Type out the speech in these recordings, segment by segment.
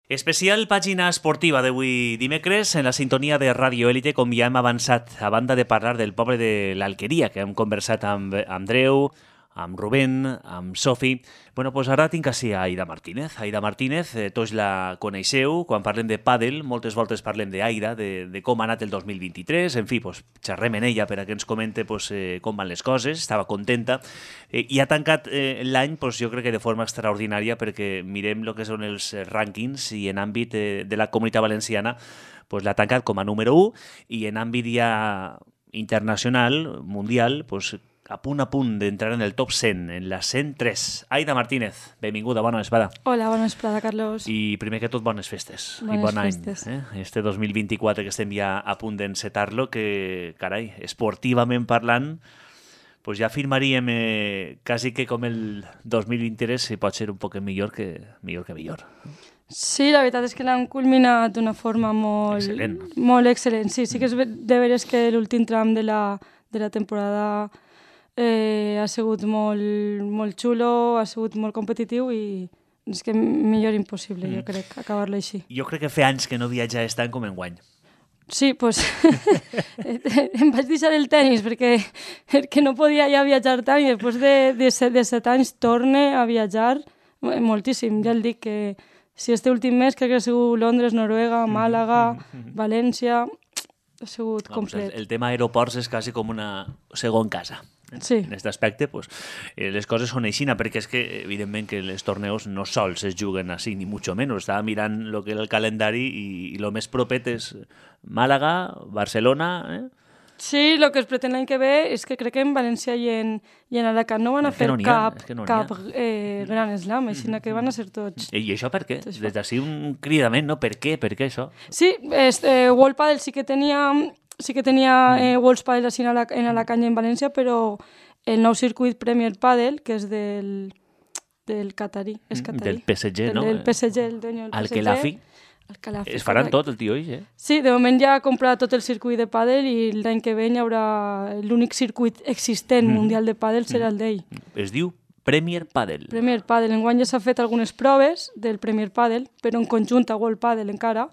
Especial pàgina esportiva d'avui dimecres en la sintonia de Radio Élite, com ja hem avançat, a banda de parlar del poble de l'Alqueria, que hem conversat amb Andreu, amb Rubén, amb Sofi. Bueno, doncs ara tinc així a Aida Martínez. Aida Martínez, tots la coneixeu. Quan parlem de pàdel, moltes voltes parlem d'Aida, de com ha anat el 2023. En fi, doncs, xerrem en ella per a que ens comente com van les coses. Estava contenta. I ha tancat l'any, doncs, jo crec que de forma extraordinària, perquè mirem el que són els rànquings i en àmbit de la Comunitat Valenciana doncs, l'ha tancat com a número 1 i en àmbit ja internacional, mundial, doncs, a punt d'entrar en el top 100, en la 103. Aida Martínez, benvinguda, bona vesprada. Hola, bona vesprada, Carlos. I primer que tot, bones festes. Bones i bon festes. any. Este 2024 que estem ja a punt d'encetar-lo, que, carai, esportivament parlant, pues ja afirmaríem quasi que com el 2023 si pot ser un poc millor que millor. Sí, la veritat és que l'han culminat d'una forma molt excel·lent. Molt excel·lent. Sí, sí que és de veres que l'últim tram de la temporada ha sigut molt xulo, ha sigut molt competitiu i és que millor impossible, jo crec, acabar-lo així. Jo crec que fa anys que no viatja tant com enguany. Sí, doncs em vaig deixar el tenis perquè no podia ja viatjar tant i després de 7 anys torne a viatjar moltíssim. Ja el dic que si este últim mes crec que ha sigut Londres, Noruega, Màlaga, València, ha sigut complet. El tema aeroports és quasi com una segon casa. Sí. En aquest aspecte, pues, les coses són aixina, perquè és que, evidentment, que els torneos no sols es juguen així, ni mucho menos. Estava mirant el que era el calendari i el més propet és Màlaga, Barcelona... Sí, el que es pretén l'any que ve és que crec que en València i en Alacant no van a fer cap gran slam, així que van a ser tots. I això per què? Des d'ací un cridament, no? Per què? Per què això? Sí, World Padel sí que tenia World Padel en Alacant i en València, però el nou circuit Premier Padel, que és del catarí, és catarí. Del PSG, no? Del PSG, el dueño del PSG. Al-Khelafi. Es faran tot, el tio, eh? Sí, de moment ja ha comprat tot el circuit de pàdel i l'any que ve hi haurà l'únic circuit existent mundial de pàdel serà el d'ell. Es diu Premier Padel. Premier Padel. Enguany ja s'ha fet algunes proves del Premier Padel, però en conjunt a World Padel encara,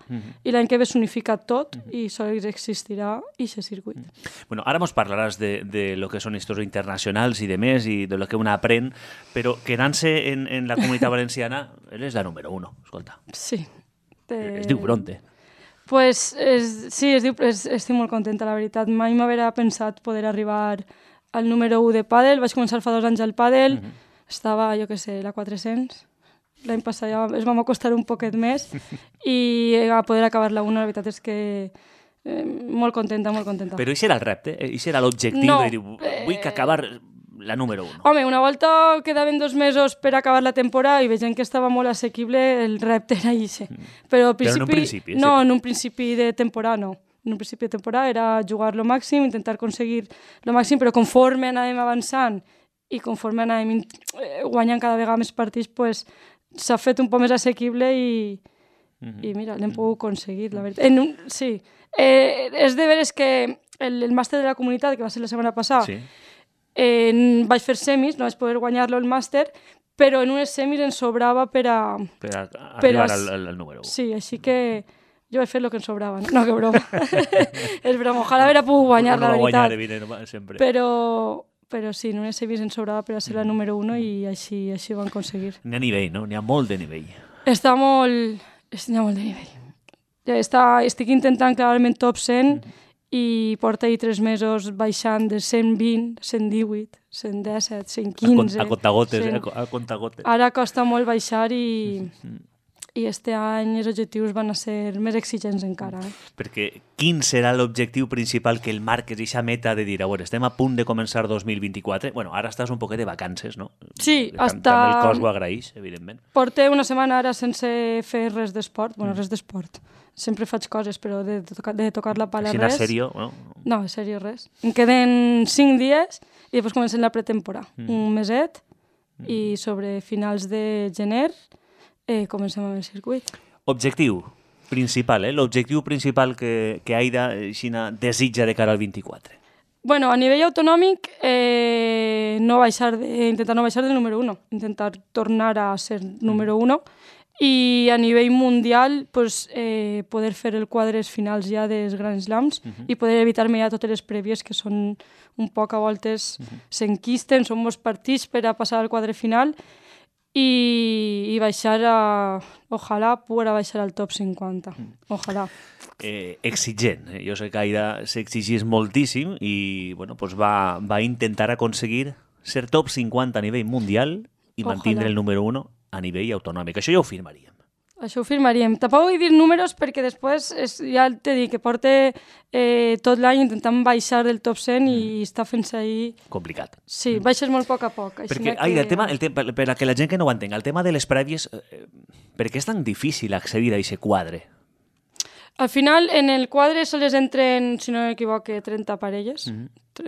i l'any que ve s'unifica tot i sols existirà aquest circuit. Bueno, ara mos parlaràs de lo que són històries internacionals i de més i de lo que un aprèn, però quedant-se en la Comunitat Valenciana, ell és la número 1, escolta. Sí. Es diu Bronte. Pues sí, estic molt contenta, la veritat. Mai m'haguera pensat poder arribar al número 1 de pàdel. Vaig començar fa 2 anys al pàdel, estava, jo què sé, la 400. L'any passat ja es vam acostar un poquet més i a poder acabar la 1, la veritat és que molt contenta, molt contenta. Però això era el repte, això era l'objectiu de dir, vull que acabar la número 1. Home, una volta quedaven 2 mesos per acabar la temporada i veient que estava molt assequible, el repte era això. Però en un principi? No, en un principi de temporada no. En un principi de temporada era jugar lo màxim, intentar aconseguir lo màxim, però conforme anàvem avançant i conforme anàvem guanyant cada vegada més partits, pues, s'ha fet un poc més assequible i mira, l'hem pogut aconseguir, la veritat. Sí, és de veres que el màster de la comunitat, que va ser la setmana passada, sí. Vaig fer semis, no vaig poder guanyar-lo el màster, però en unes semis ens sobrava per arribar al número 1. Sí, així que jo vaig fer el que ens sobrava. No, que broma. És broma, ojalà haver pogut guanyar, la veritat. Sempre. Però sí, en unes semis ens sobrava per a ser la número 1 i així ho vam aconseguir. N'hi ha nivell, no? N'hi ha molt de nivell. N'hi ha molt de nivell. Estic intentant clarament top 100 i porta ahir 3 mesos baixant de 120, 118, 117, 115... A contagotes, a contagotes. Ara costa molt baixar i este any els objectius van a ser més exigents encara. Perquè quin serà l'objectiu principal que el marques i aquesta meta de dir, a veure, estem a punt de començar 2024? Bueno, ara estàs un poquet de vacances, no? Sí, També el cos ho agraeix, evidentment. Porté una setmana ara sense fer res d'esport. Bueno, res d'esport. Sempre faig coses, però de tocar la pala res. Així, sèrio, no? No, en sèrio, res. Em queden 5 dies i després comencem la pretemporada. Un meset i sobre finals de gener comencem amb el circuit. Objectiu principal, l'objectiu principal que Aida desitja de cara al 24. Bueno, a nivell autonòmic, intentar no baixar del número 1, intentar tornar a ser número 1 i a nivell mundial pues, poder fer el quadres finals ja dels Grand Slams i poder evitar-me ja totes les prèvies que són un poc a voltes s'enquisten, són molts partits per a passar al quadre final i baixar ojalà poder baixar al top 50, ojalà. Exigent, jo sé que Aida s'exigís moltíssim i bueno, pues va intentar aconseguir ser top 50 a nivell mundial i mantindre el número 1 a nivell autonòmic. Això ja ho firmaríem. Això ho firmaríem. Tampoc vull dir números perquè després ja t'he dit que porta tot l'any intentant baixar del top 100 i està fent-se ahir... Complicat. Sí, baixes molt a poc a poc. Perquè, Aida, per a que la gent que no ho entenga, el tema de les prèvies, per què és tan difícil accedir a aquest quadre? Al final, en el quadre sols entren, si no m'equivoque, 30 parelles,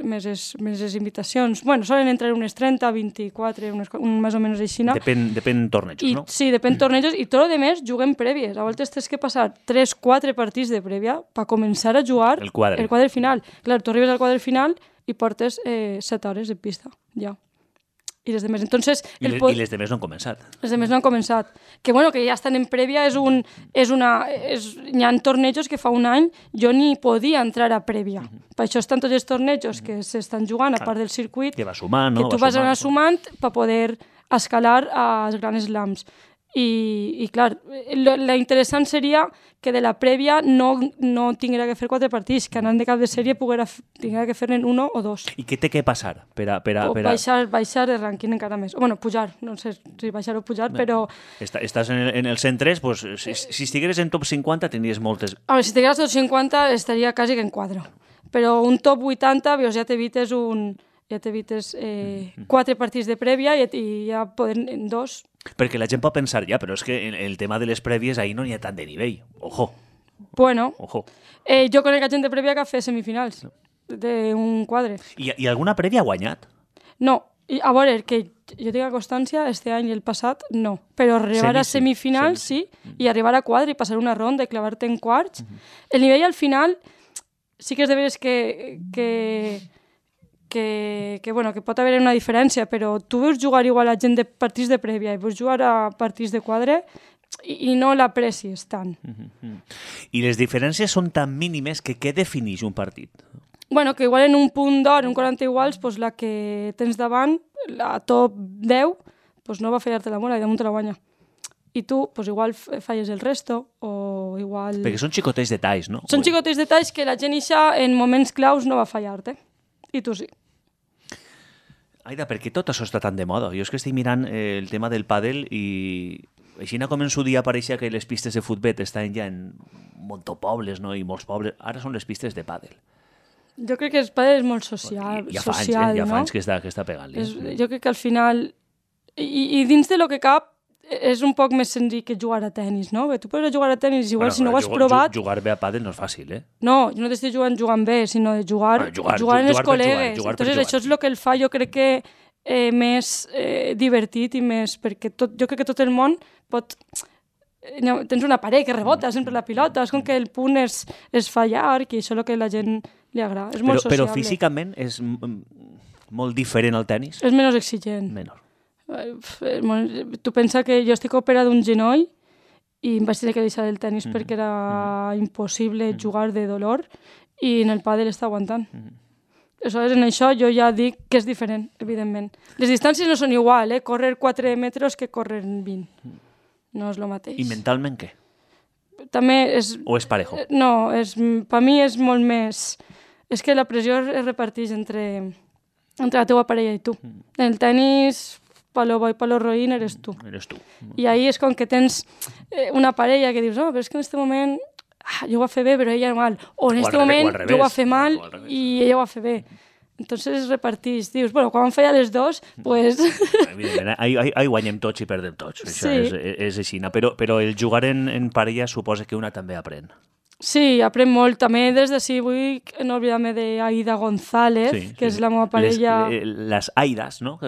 més les invitacions. Bueno, solen entrar unes 30, 24, més o menys així. Depèn tornejos, no? Sí, depèn tornejos, i tot el més juguem prèvies. A voltes tens que passar 3-4 partits de prèvia per començar a jugar el quadre final. Clar, tu arribes al quadre final i portes 7 hores de pista, ja. I les demés. Entonces, I les demés no han començat. Les demés no han començat. Que bueno, que ja estan en prèvia, hi ha tornejos que fa un any jo ni podia entrar a prèvia. Per això estan tots els tornejos que s'estan jugant a part del circuit, que va sumant, no? Que tu vas anar sumant per poder escalar als Grand Slams. I clar, la interessant seria que de la prèvia no tinguera que fer 4 partits, que anant de cap de sèrie tinguera que fer-ne 1 o 2. I què té que passar? Baixar el rànquing encara més. Bueno, pujar, no sé si baixar o pujar, però... Estàs en el 103, pues, si estigueres en top 50 tindries moltes... A veure, si estigués en top 50 estaria quasi que en quadre. Però un top 80, ja t'evites 4 partits de prèvia i ja poden en 2... Perquè la gent pot pensar, ja, però és que el tema de les prèvies ahir no n'hi ha tant de nivell. Ojo. Bueno, ojo. Jo conec gent de prèvia que ha fet semifinals d'un quadre. I alguna prèvia ha guanyat? No. A veure, que jo tinc constància, este any i el passat, no. Però arribar a semifinals, sí, i arribar a quadre i passar una ronda i clavar-te en quarts. El nivell al final sí que és de veres que pot haver una diferència, però tu veus jugar igual a gent de partits de prèvia i veus jugar a partits de quadre i no l'aprecies tant. I les diferències són tan mínimes que què defineix un partit? Bueno, que igual en un punt d'or, en 40 iguals, pues la que tens davant, la top 10, pues no va fallar-te la mola i damunt te la guanya. I tu, pues igual falles el resto, o igual... Perquè són xicotets detalls, no? Són xicotets detalls que la gent ixa en moments claus no va fallar-te. I tu sí. Aida, per què tot això està tan de moda? Jo és que estic mirant el tema del pàdel i així com en su dia pareixia que les pistes de futbol estaven ja en montopobles, no? I molts pobles. Ara són les pistes de pàdel. Jo crec que el pàdel és molt social, ja fa anys que està pegant-li. Jo crec que al final... I dins de lo que cap, és un poc més senzill que jugar a tennis, no? Tu pots jugar a tennis, igual si no ho has provat... Jugar bé a pàdel no és fàcil, eh? No, jo no t'estic jugant bé, sinó de jugar amb els col·legues. Entonces això és el que el fa, jo crec que més divertit i més... Perquè jo crec que tot el món pot... Tens una paret que rebota sempre la pilota, és com que el punt és fallar, que això és el que a la gent li agrada. És molt sociable. Però físicament és molt diferent al tennis? És menys exigent. Menor. Tu pensa que jo estic operada d'un genoll i em vaig tenir que deixar el tennis perquè era impossible jugar de dolor i en el pàdel està aguantant. Aleshores, en això jo ja dic que és diferent, evidentment. Les distàncies no són igual, córrer 4 metres que córrer 20. No és el mateix. I mentalment què? També és... O és parejo? No, per mi és molt més... És que la pressió es reparteix entre la teva parella i tu. En el tenis... Palo bo i palo roïn eres tu. I ahir és com que tens una parella que dius, no, però és que en aquest moment jo ho va fer bé, però ella mal. O en aquest moment jo ho va fer mal i ella ho va fer bé. Entonces repartís. Dius, bueno, quan van fallar les dos, pues... Evidentment, ahí guanyem tots i perdem tots. Això és així. Però el jugar en parella suposa que una també aprèn. Sí, aprèn molt. També des d'ací vull no oblidar-me d'Aida González, que és la meva parella... Les Aidas, no?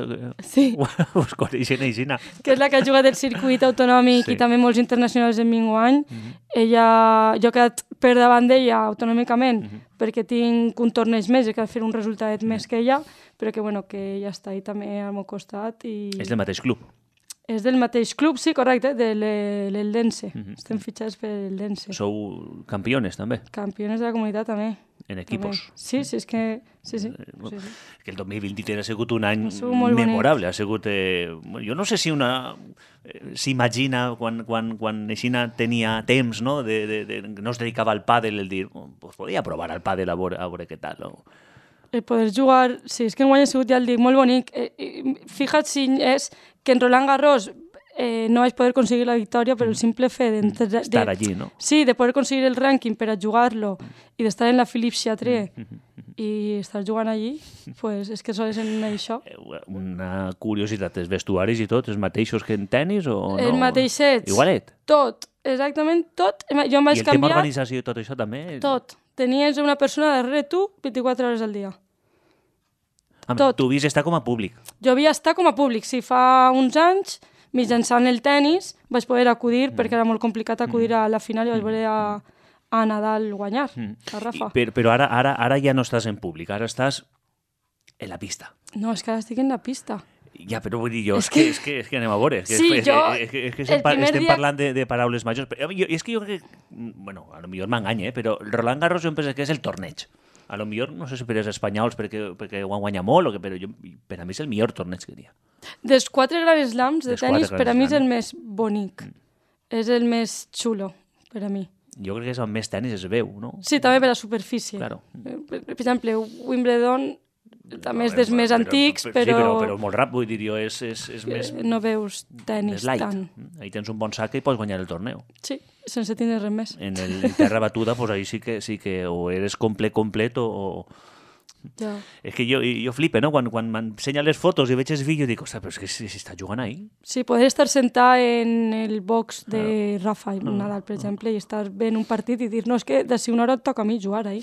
Sí. Us coneixen així. Que és la que ha jugat el circuit autonòmic i també molts internacionals en minguany. Jo he quedat per davant d'ella autonòmicament perquè tinc un torneig més i he quedat fer un resultat més que ella, però que, bueno, que ella està ahí també al meu costat. És del mateix club? És del mateix club, sí, correcte, de l'Eldense. Estem fitxats per l'Eldense. Sou campiones, també, Campiones de la comunitat, també. en equipos. Sí, és que... Sí. Que el 2023 ha sigut un any sigut molt memorable. Ha sigut... jo no sé si s'imagina quan Aixina tenia temps, no? No es dedicava al pàdel, el dir, pues podia provar al pàdel a veure què tal, no? El poder jugar... Sí, és que enguany ha sigut, ja el dic, molt bonic. Fija't si és que en Roland Garros no vaig poder aconseguir la victòria, però el simple fet estar allí, no? Sí, de poder aconseguir el rànquing per a jugar-lo i d'estar en la Philippe Chatrier i estar jugant allí, pues és que sols en això. Una curiositat, els vestuaris i tot, els mateixos que en tenis o no? El mateixet. Igualet. Tot, exactament tot. Jo em vaig I el canviar... tema organització i tot això també? Tot. Tenies una persona darrere tu 24 hores al dia. Tot. Tu havies estar com a públic. Jo havia estat com a públic, sí, fa uns anys, mitjançant el tennis, vaig poder acudir, perquè era molt complicat acudir a la final i vaig veure a Nadal guanyar, a Rafa. Però ara ja no estàs en públic, ara estàs en la pista. No, és que ara estic en la pista. Ja, però vull dir jo, és que anem a veure. Sí, Estem parlant de paraules majors. És que jo crec que, bueno, a lo millor m'enganya, però Roland Garros jo em penso que és el torneig. A lo millor, no sé si per els espanyols perquè ho han guanyat molt, però per a mi és el millor torneig que hi ha. Dels 4 Grand Slams de tennis, per a mi és el més bonic. És el més xulo, per a mi. Jo crec que és el més tennis es veu, no? Sí, també per la superfície. Claro. Per exemple, Wimbledon també és dels més antics, però... Sí, però molt ràpid, vull dir jo, és més... No veus tenis light. tant. Ahí tens un bon sac i pots guanyar el torneu. Sí, sense tindre res més. En el terra batuda, pues ahí sí que o eres complet o... Ja. És que jo flipe, no? Quan m'ensenya les fotos i veig els vídeos, dic, ostres, però és que si està jugant ahí. Sí, poder estar sentat en el box de Rafa Nadal, per exemple, i estar veient un partit i dir, no, és que d'ací una hora et toca a mi jugar ahí.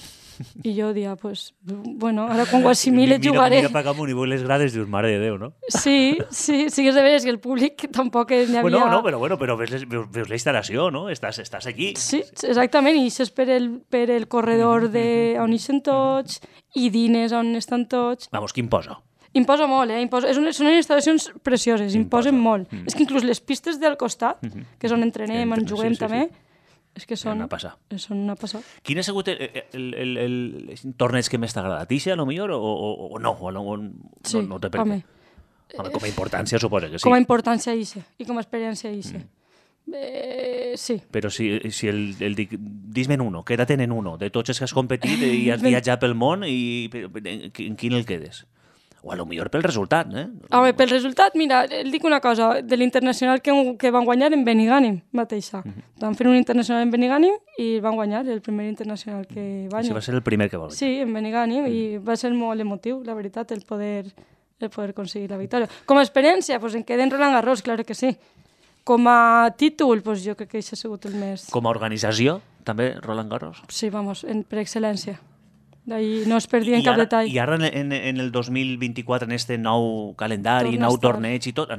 I jo dia, pues, bueno, ara quan ho assimile jugaré. Mira per amunt i veus les grades i dius, mare de Déu, no? Sí, és de veres que el públic tampoc n'hi havia... Però veus la instal·lació, no? Estàs aquí. Sí, exactament, i ixes per el corredor on ixen tots i dines on estan tots. Vamos, qui imposa? Imposa molt, són unes instal·lacions precioses, imposen molt. És que inclús les pistes del costat, que és on entrenem, on juguem també, és que són una passada. Quin ha sigut el torneig que més t'ha agradat? Ixe, a lo millor, o no? Sí, no té per què? Home, com a importància suposa que sí. Com a importància ixe, i com a experiència ixe. Sí. Però si dis-me'n uno, queda't en uno, de tots els que has competit i has viatjat pel món, i en quin el quedes? O a lo millor pel resultat, eh? Home, pel resultat, mira, et dic una cosa, de l'internacional que van guanyar en Benigànim mateixa. Van fer un internacional en Benigànim i van guanyar el primer internacional que van. Sí, va ser el primer que va guanyar. Sí, en Benigànim, i va ser molt emotiu, la veritat, el poder aconseguir la victòria. Com a experiència, pues en queden Roland Garros, claro que sí. Com a títol, pues jo crec que això ha sigut el més... Com a organització, també, Roland Garros? Sí, vamos, per excel·lència. D'ahí no es perdia en cap detall. I ara en el 2024, en este nou calendari, nou torneig i tot,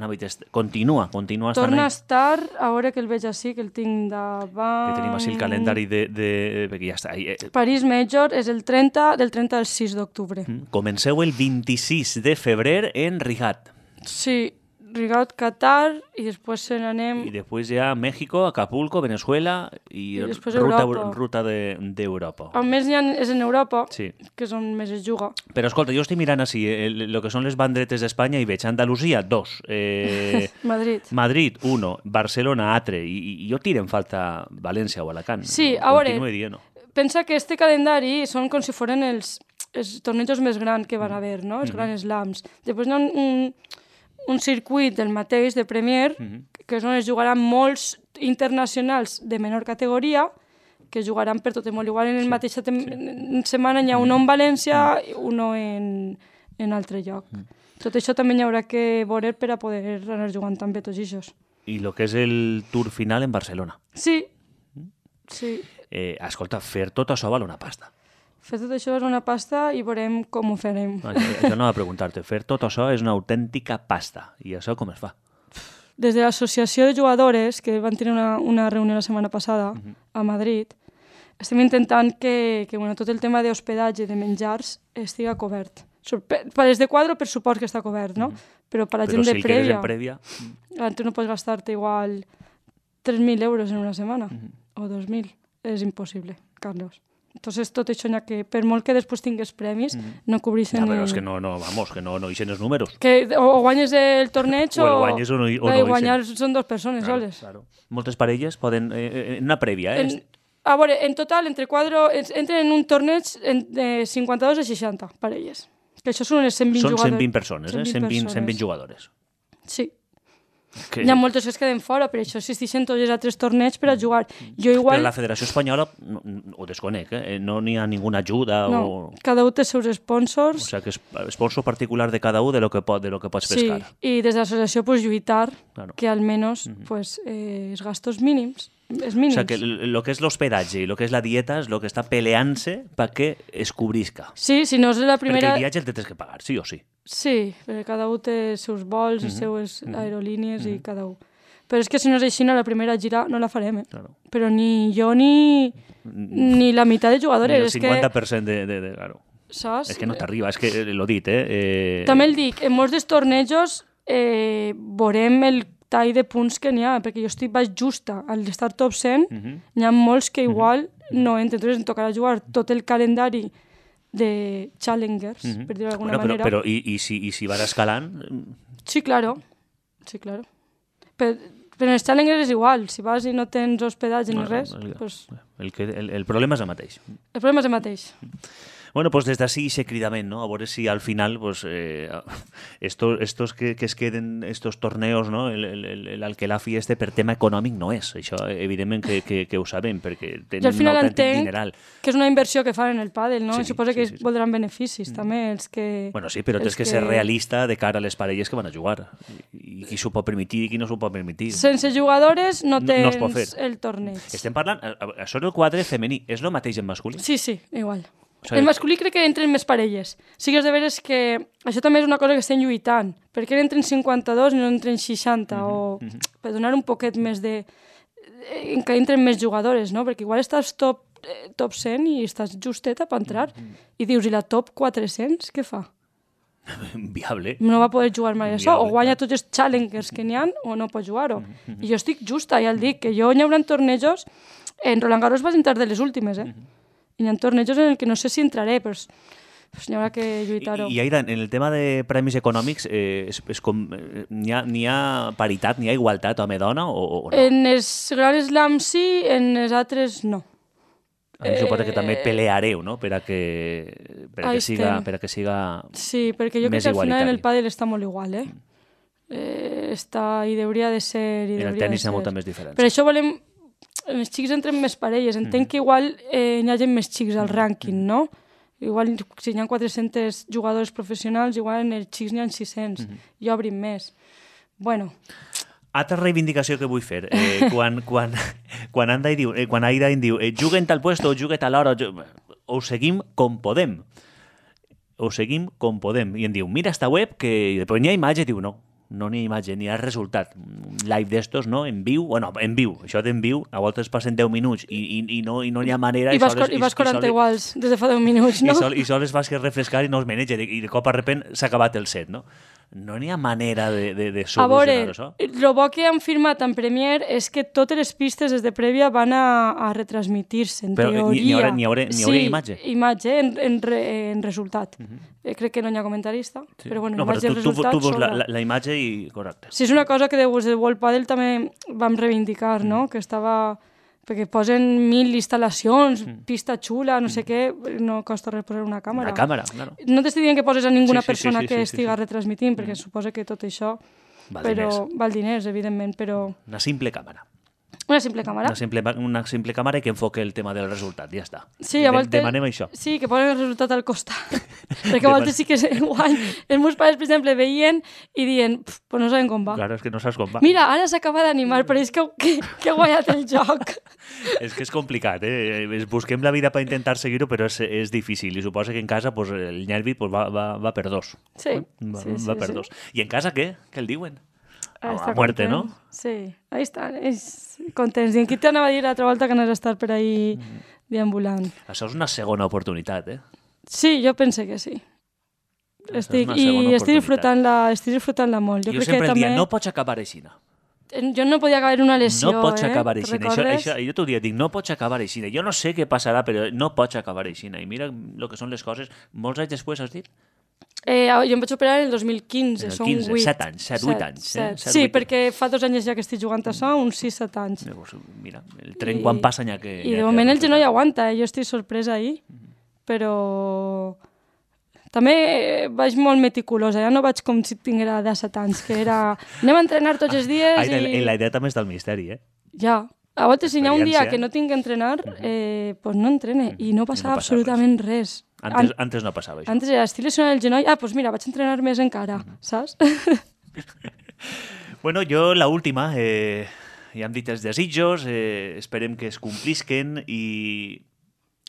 continua estant Torna a estar, a veure que el veig així, que el tinc davant... Que tenim així el calendari perquè ja està. París Major és del 30 al 6 d'octubre. Comenceu el 26 de febrer en Rigat. Sí, Rigat, Qatar, i després se n'anem... I després ja México, Acapulco, Venezuela i ruta d'Europa. On més és en Europa, sí, que és on més es juga. Però escolta, jo estic mirant així el que són les bandretes d'Espanya i veig Andalusia, 2. Madrid, 1. Barcelona, altre. I jo tiro en falta València o Alacant. Sí, a veure, pensa que este calendari són com si foren els tornejos més grans que van haver, no? Els Grand Slams. Després hi ha un circuit del mateix, de Premier, que és on es jugaran molts internacionals de menor categoria, que jugaran per tot el món. Igual en la mateixa setmana hi ha un en València i un en altre lloc. Tot això també hi haurà que veure per a poder anar jugant també tots aquests. I el que és el Tour final en Barcelona. Sí. Escolta, fer tot això val una pasta. Fer tot això és una pasta i veurem com ho farem. Això no va a preguntar-te. Fer tot això és una autèntica pasta. I això com es fa? Des de l'associació de jugadores, que van tenir una reunió la setmana passada a Madrid, estem intentant que tot el tema d'hospedatge, de menjars, estiga cobert. Per les de quadro, per suport que està cobert, no? Però per la gent de prèvia... prèvia... Tu no pots gastar-te igual 3.000 euros en una setmana o 2.000. És impossible, Carlos. Entonces, tot això, que per molt que després tingués premis, no cobreixen... Ja, però és que no ixen els números. Que o guanyes el torneig o el guanyes o no ixen. Guanyar són dues persones soles. Claro. Moltes parelles poden... en una prèvia, A veure, en total, entren en un torneig de 52 a 60 parelles. Que això són unes 120 jugadores. Són 120 persones, 120 jugadores. Sí. Hi ha moltes que es queden fora, per això existeixen tots els altres torneigs per a jugar. Però la Federació Espanyola, ho desconec, no n'hi ha ninguna ajuda. No, cada un té els seus sponsors. O sigui, que és sponsor particular de cada un de lo que pots pescar. Sí, i des de l'associació lluitar que almenys els gastos mínims. O sigui, que el que és l'hospedatge i el que és la dieta és el que està peleant-se perquè es cobrisca. Sí, si no és la primera... Perquè el viatge el tens que pagar, sí o sí. Sí, perquè cada un té els seus vols, les seues aerolínies i cada un. Però és que si no és així, la primera gira no la farem, Claro. Però ni jo ni la meitat de jugadores. Ni el 50% de claro. Saps? És que no t'arriba, és que l'ho dit, També el dic, en molts dels tornejos veurem el tall de punts que n'hi ha, perquè jo estic baix justa al d'estar top 100, n'hi ha molts que igual no entren, entonces em tocarà jugar tot el calendari de challengers, per dir-ho d'alguna manera. Però i si vas escalant... Sí, claro. Però en els challengers és igual, si vas i no tens hospedatge ni res... El problema és el mateix. El problema és el mateix. Bueno, pues des d'ací ese cridament, ¿no? A veure si al final, pues, estos que es queden, estos torneos, ¿no? L'Alquelafi per tema econòmic no és. Això, evidentment, que ho sabem, perquè tenen un autèntic dineral. Que és una inversió que fan en el pàdel, no? Sí, suposa que voldran beneficis, també, els que... Bueno, sí, però tens que ser realista de cara a les parelles que van a jugar. I qui s'ho pot permetir i qui no s'ho pot permetir. Sense jugadores no tens el torneig. Estem parlant... Això del quadre femení és el mateix en masculí? Sí, igual. O sigui, el masculí crec que entren més parelles. Sí que és de veres que això també és una cosa que estem lluitant. Per què entren 52 i no entren 60? O per donar un poquet més de... que entren més jugadores, no? Perquè igual estàs top 100 i estàs justeta per entrar. I dius, i la top 400 què fa? Viable. No va poder jugar mai això. O guanya tots els challengers que n'hi ha o no pot jugar-ho. I jo estic justa, ja el dic, que jo n'hi haurà tornejos... En Roland Garros vas entrar de les últimes, I hi ha tornejos en el que no sé si entraré, però n'hi haurà que lluitar-ho. I Aida, en el tema de premis econòmics, n'hi ha paritat, n'hi ha igualtat home-dona o no? En els Grand Slam sí, en els altres no. Suposo que també peleareu, no?, per a que siga sí, perquè jo crec que al final en el pàdel està molt igual, està i hauria de ser... En el tenis hi ha molta més diferència. Per això volem... Els xics entren més parelles. Entenc que igual n'hi hagi més xics al rànquing, no? Igual si hi ha 400 jugadors professionals, igual en els xics n'hi ha 600 i obrin més. Bueno. Altra reivindicació que vull fer. Quan Aida em diu juguen tal puesto o juguen tal hora, ho seguim com podem. I em diu, mira esta web que després n'hi ha imatge, diu, no n'hi ha imatge, n'hi ha resultat. Un live d'estos, no? En viu, això d'en viu, a voltes passen 10 minuts i no n'hi ha manera... I vas 40 iguals des de fa 10 minuts, no? I sols vas que refrescar i no es maneja, i de cop a repent s'ha acabat el set, no? No n'hi ha manera de solucionar això. A veure, el bo que han firmat en Premier és que totes les pistes des de prèvia van a retransmitir-se, en teoria. N'hi haurà imatge? Sí, imatge en resultat. Crec que no hi ha comentarista, però bueno, imatge en resultat... Tu veus la imatge i... Correcte. Sí, és una cosa que des de World Padel també vam reivindicar, no? Que estava... perquè posen 1000 instal·lacions, pista xula, no sé què, no costa res posar una càmera. Una càmera, claro. No t'estic dient que poses a ninguna persona que estiga retransmitint, perquè suposa que tot això val diners, evidentment, però... Una simple càmera. Una simple càmera. Una simple càmera que enfoque el tema del resultat, ja està. Sí, a voltes... Demanem això. Sí, que posen el resultat al costat. Perquè a voltes sí que és igual. Els meus pares, per exemple, veien i diuen, pues no saben com va. Claro, és que no saps com va. Mira, ara s'acaba d'animar, però és que ha guanyat el joc. És que és complicat, busquem la vida per intentar seguir-ho, però és difícil. I suposa que en casa pues, el nervi pues, va per dos. Sí. Va per dos. I en casa què? Què el diuen? A muerte, ¿no? Sí, ahí estan, contents. I en qui t'anava a dir l'altra volta que anés a estar per ahí deambulant. Això és una segona oportunitat, Sí, jo pense que sí. estic disfrutant-la molt. Jo crec sempre que el dia, també... no pots acabar així. Jo no podia acabar una lesió, No pots acabar així. Recordes? Jo t'ho dic, no pots acabar així. Jo no sé què passarà, però no pots acabar així. I mira el que són les coses. Molts anys després, has dit? Jo em vaig operar el 2015, són 8. 7 anys, 8 anys. 7. Sí, perquè fa 2 anys ja que estic jugant a això, uns 6-7 anys. Mira, el tren quan passa n'hi ha que... I de moment el genoll aguanta, jo estic sorpresa ahir, però també vaig molt meticulosa, ja no vaig com si tinguera 17 anys, que era anem a entrenar tots els dies i... La idea també és del misteri, eh? Ja, a vegades si hi ha un dia que no tinc que entrenar, pues no entrene, i no passava absolutament res. Antes no passava això. Antes era estic lesionant el genoll, doncs mira, vaig entrenar més encara, saps? Bueno, jo l'última, ja hem dit els desitjos, esperem que es complisquen i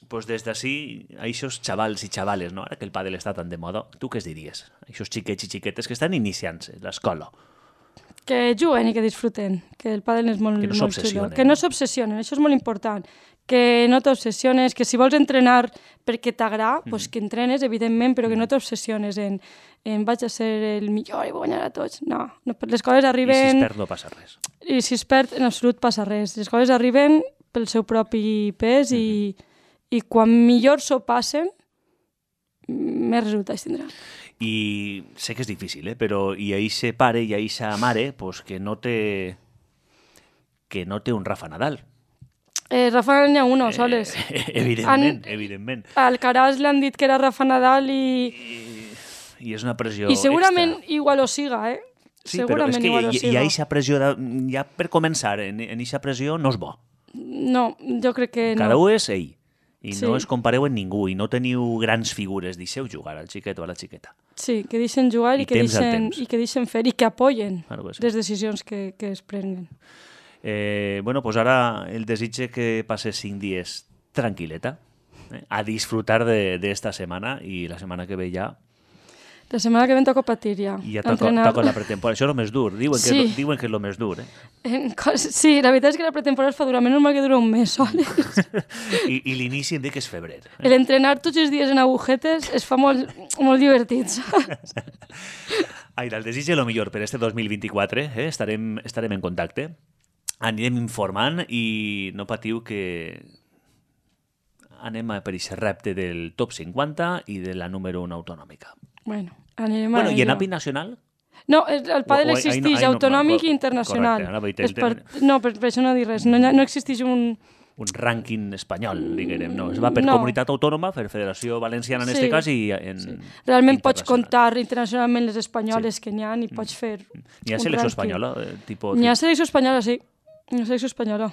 pues des d'ací, a aquests xavals i xavales, no? Ara que el pàdel està tan de moda, tu què es diries? A aquests xiquets i xiquetes que estan iniciant-se l'escola. Que juguen i que disfruten, que el pàdel és molt, no molt xulo. Que no s'obsessionen, això és molt important. Que no t'obsessiones, que si vols entrenar perquè t'agrada, pues que entrenes, evidentment, però que no t'obsessiones en vaig a ser el millor i vull guanyar a tots. No, les coses arriben... I si es perd no passa res. I si es perd, en absolut passa res. Les coses arriben pel seu propi pes i quan millor s'ho passen, més resultats tindran. I sé que és difícil, però i a eixe pare i a eixa mare pues, que no té un Rafa Nadal. Rafa n'hi ha uno, soles. Evidentment. Al Caraz l'han dit que era Rafa Nadal i és una pressió i segurament extra. igual ho siga, Sí, segurament però és que hi ha eixa pressió, ja per començar, en eixa pressió no és bo. No, jo crec que no. Cada un és ell. I no es compareu amb ningú, i no teniu grans figures. Deixeu jugar al xiquet o a la xiqueta. Sí, que deixen jugar i que deixen fer i que apoyen les decisions que es prenguen. Bueno, pues ara el desitge que passes 5 dies tranquil·leta, a disfrutar d'esta setmana, i la setmana que ve ja... La setmana que ve toca patir ja. I ja toca la pretemporada. Això és el més dur. Diuen que és el més dur. Sí, la veritat és que la pretemporada es fa durar, menys mal que dura un mes soles. I l'inici em dic que és febrer. L'entrenar tots els dies en agujetes es fa molt, molt divertit, saps? Aira, el desitge el millor per este 2024. Estarem en contacte. Anirem informant i no patiu que anem per aquest repte del top 50 i de la número 1 autonòmica. Bueno, anirem a ello. I en àmbit nacional? No, el pàdel existeix autonòmic i internacional. Correcte. No, per això no dir res. No existeix un rànquing espanyol, diguem. No, es va per comunitat autònoma, per Federació Valenciana en aquest cas i en realment pots comptar internacionalment les espanyoles que n'hi ha i pots fer N'hi ha selecció espanyola? N'hi ha selecció espanyola, sí. N'hi ha selecció espanyola.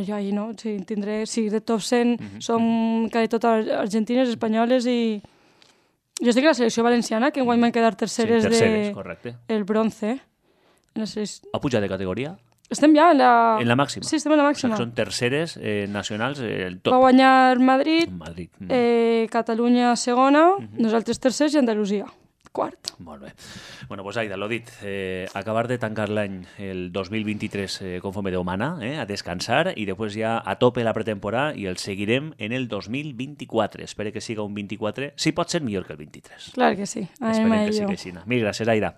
Jo ahir no, sí, de top 100 som quasi totes argentines, espanyoles i... Jo estic a la selecció valenciana, que enguany van quedar terceres correcte. El bronce. Ha pujat de categoria? Estem ja en la... En la màxima? Sí, estem en la màxima. O sigui, són terceres nacionals, el top. Va guanyar Madrid. Catalunya segona, nosaltres tercers i Andalusia quart. Molt bé. Bueno, doncs Aida, l'ho dit, acabar de tancar l'any el 2023 conforme Déu mana, a descansar i després ja a tope la pretemporada i el seguirem en el 2024. Espero que siga un 24, si pot ser millor que el 23. Clar que sí. Esperem que sigui així. Mil gràcies, Aida.